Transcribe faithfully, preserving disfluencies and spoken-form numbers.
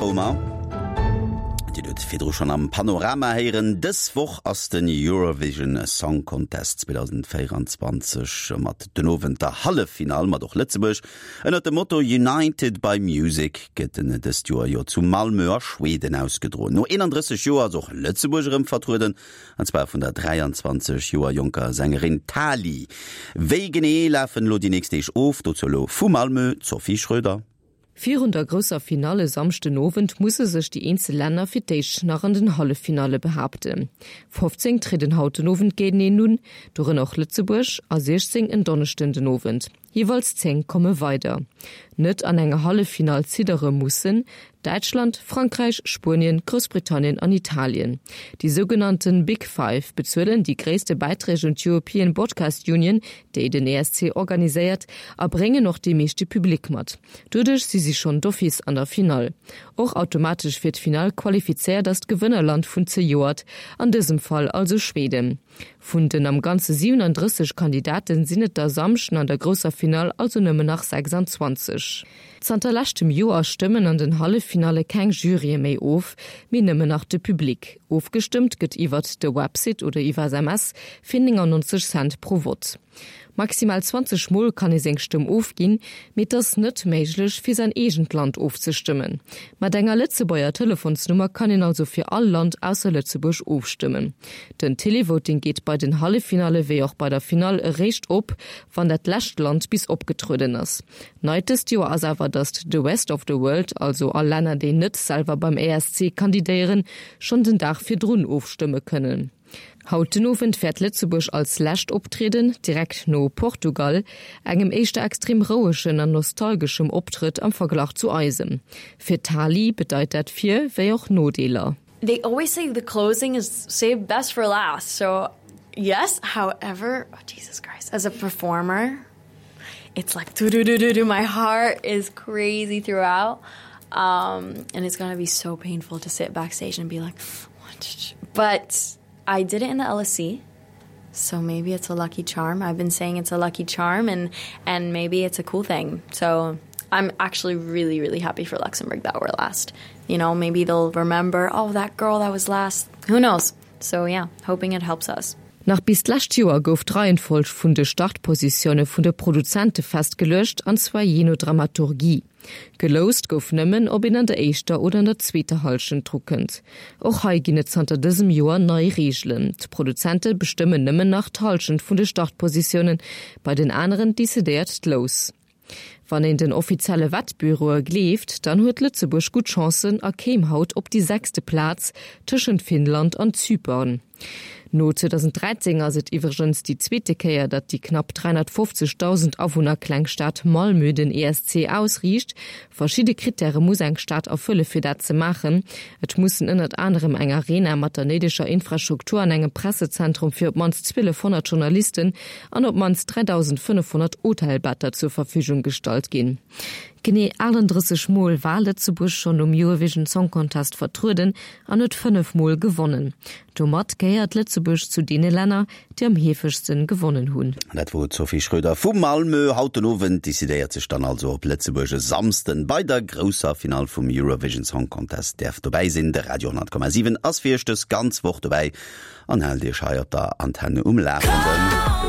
Romer. Dir hutt virdru schonn am Panorama héieren, dës Woch ass den Eurovision Song Contest zweedausendvéieranzwanzeg mat den Owend der Halleffinall mat och Lëtzebuerg. Ënnert dem Motto United by Music gëtt en dëst Joer jo zu Malmö a Schweden ausgedroen. No eenandrësseg Joer ass och Lëtzebuerg erëm vertrueden, an zwar vun der dräianzwanzeg Joer jonker Sängerin Tali. Wéi genee lafen elo déi nächst Deeg of? Dozou elo vu Malmö d'Sophie Schröder. Virun der grousser Finall e Samschden Owend musse sech déi eenzel Länner fir d'éischt nach an den Halleffinalle behaapten. fofzéng trieden haut den Owend géinteneen un, dorënner och Lëtzebuerg, a siechzéng en Donneschden den Owend. Jeeweils zéng komme weider. Net an enger Halleffinall ziddere mussen Däitschland, Frankräich, Spuenien, Groussbritannien an Italien. Déi sougenannten Big Five bezuelen déi gréisste Bäiträg un d'European Broadcast Union, déi den E S C organiséiert, a bréngen och dee meeschte Public mat. Doduerch si si schonn d'office an der Finall. Och automatesch fir d'Finall qualifizéiert ass d'Gewënnerland vun zejoert, an dësem Fall also Schweden. Vun den am Ganze siwenandrësseg Kandidaten sinn et der Samschden an der grousser Finall also nëmmen nach sechsanzwanzeg. Zanter leschtem Joer stëmmen an den Halleffinalle keng Jurye méi of, mee nëmmen nach de Public. Ofgestëmmt gëtt iwwert de Website oder iwwer S M S fir néngannonzeg Cent pro Vott. Maximal zwanzeg Mol kann ee seng Stëmm ofginn, mee et ass net méiglech fir säin eegent Land ofzestëmmen. Mat enger Lëtzebuerger Telefonsnummer kann een also fir all Land ausser Lëtzebuerg ofstëmmen. Den Televoting geet bei den Halleffinalle wéi och bei der Finall eréischt op, wann dat lescht Land bis opgetrueden ass. Nei dëst Joer ass awer, datt the rest of the world, also all Länner déi net selwer beim E S C kandidéieren, schonn den Dag virdrun ofstëmme kënnen. Haut den Owend wäert Lëtzebuerg als lescht optrieden, direkt no Portugal, engem éischter extrem rouegen an nostalgeschem Optrëtt am Verglach zu eisem. Fir d'Tali bedeit dat Vir wéi och Nodeeler. They always say the closing is saved best for last. So yes, however, oh, Jesus Christ, as a performer, it's like do do do do do. My heart is crazy throughout. Um, and it's gonna be so painful to sit backstage and be like, but I did it in the L S C. So maybe it's a lucky charm. I've been saying it's a lucky charm and and maybe it's a cool thing. So I'm actually really, really happy for Luxembourg that we're last. You know, maybe they'll remember, oh, that girl that was last. Who knows? So yeah, hoping it helps us. Nach bis d'lescht Joer gouf d'Reihenfolg vun de Startpositioune vun de Produzente festgeluecht, an zwar jee no Dramaturgie. Geloust gouf nëmmen, ob een an der éischter oder an der zweeter Hallschent dru kënnt. Och hei ginn et zanter dësem Joer nei Reegelen. D'Produzente bestëmmen nëmmen nach d'Hallschent vun de Startpositiounen, bei den aneren decidéiert d'Lous. Wann een den offizielle Wettbüroe gleeft, dann huet Lëtzebuerg gutt Chancen a kéim haut op déi sechste Plaz tëschent Finnland an Zypern. No zweedausenddräizéng ass et iwwregens déi zweete Kéier, datt déi knapp dräihonnertfofzegdausend Awunner kleng Stad Malmö den E S C ausriicht. Verschidde Krittäre muss eng Stad erfëlle fir dat ze maachen. Et mussen ënnert anerem eng Arena mat der néideger Infrastruktur an engem Pressezentrum fir op d'mannst zwielefhonnert Journalisten an op d'mannst dräidausendfënnefhonnert Hotelbetter zur Verfügung gestallt ginn. Genee achtandrësseg Mol war Lëtzebuerg schonn um Eurovision Song Contest vertrueden an huet fënnef Mol gewonnen. Domat gehéiert Lëtzebuerg zu deene Länner, déi am heefegste gewonnen hunn. Dat wor d'Sophie Schröder vu Malmö. Haut den Owend decidéiert sech dann also, ob Lëtzebuerg e Samsden bei der grousser Finall vum Eurovision Song Contest däerf dobäi sinn. De Radio honnert Komma siwen ass fir iech dës ganz Woch dobäi an hält iech hei op der Antenne um Lafenden.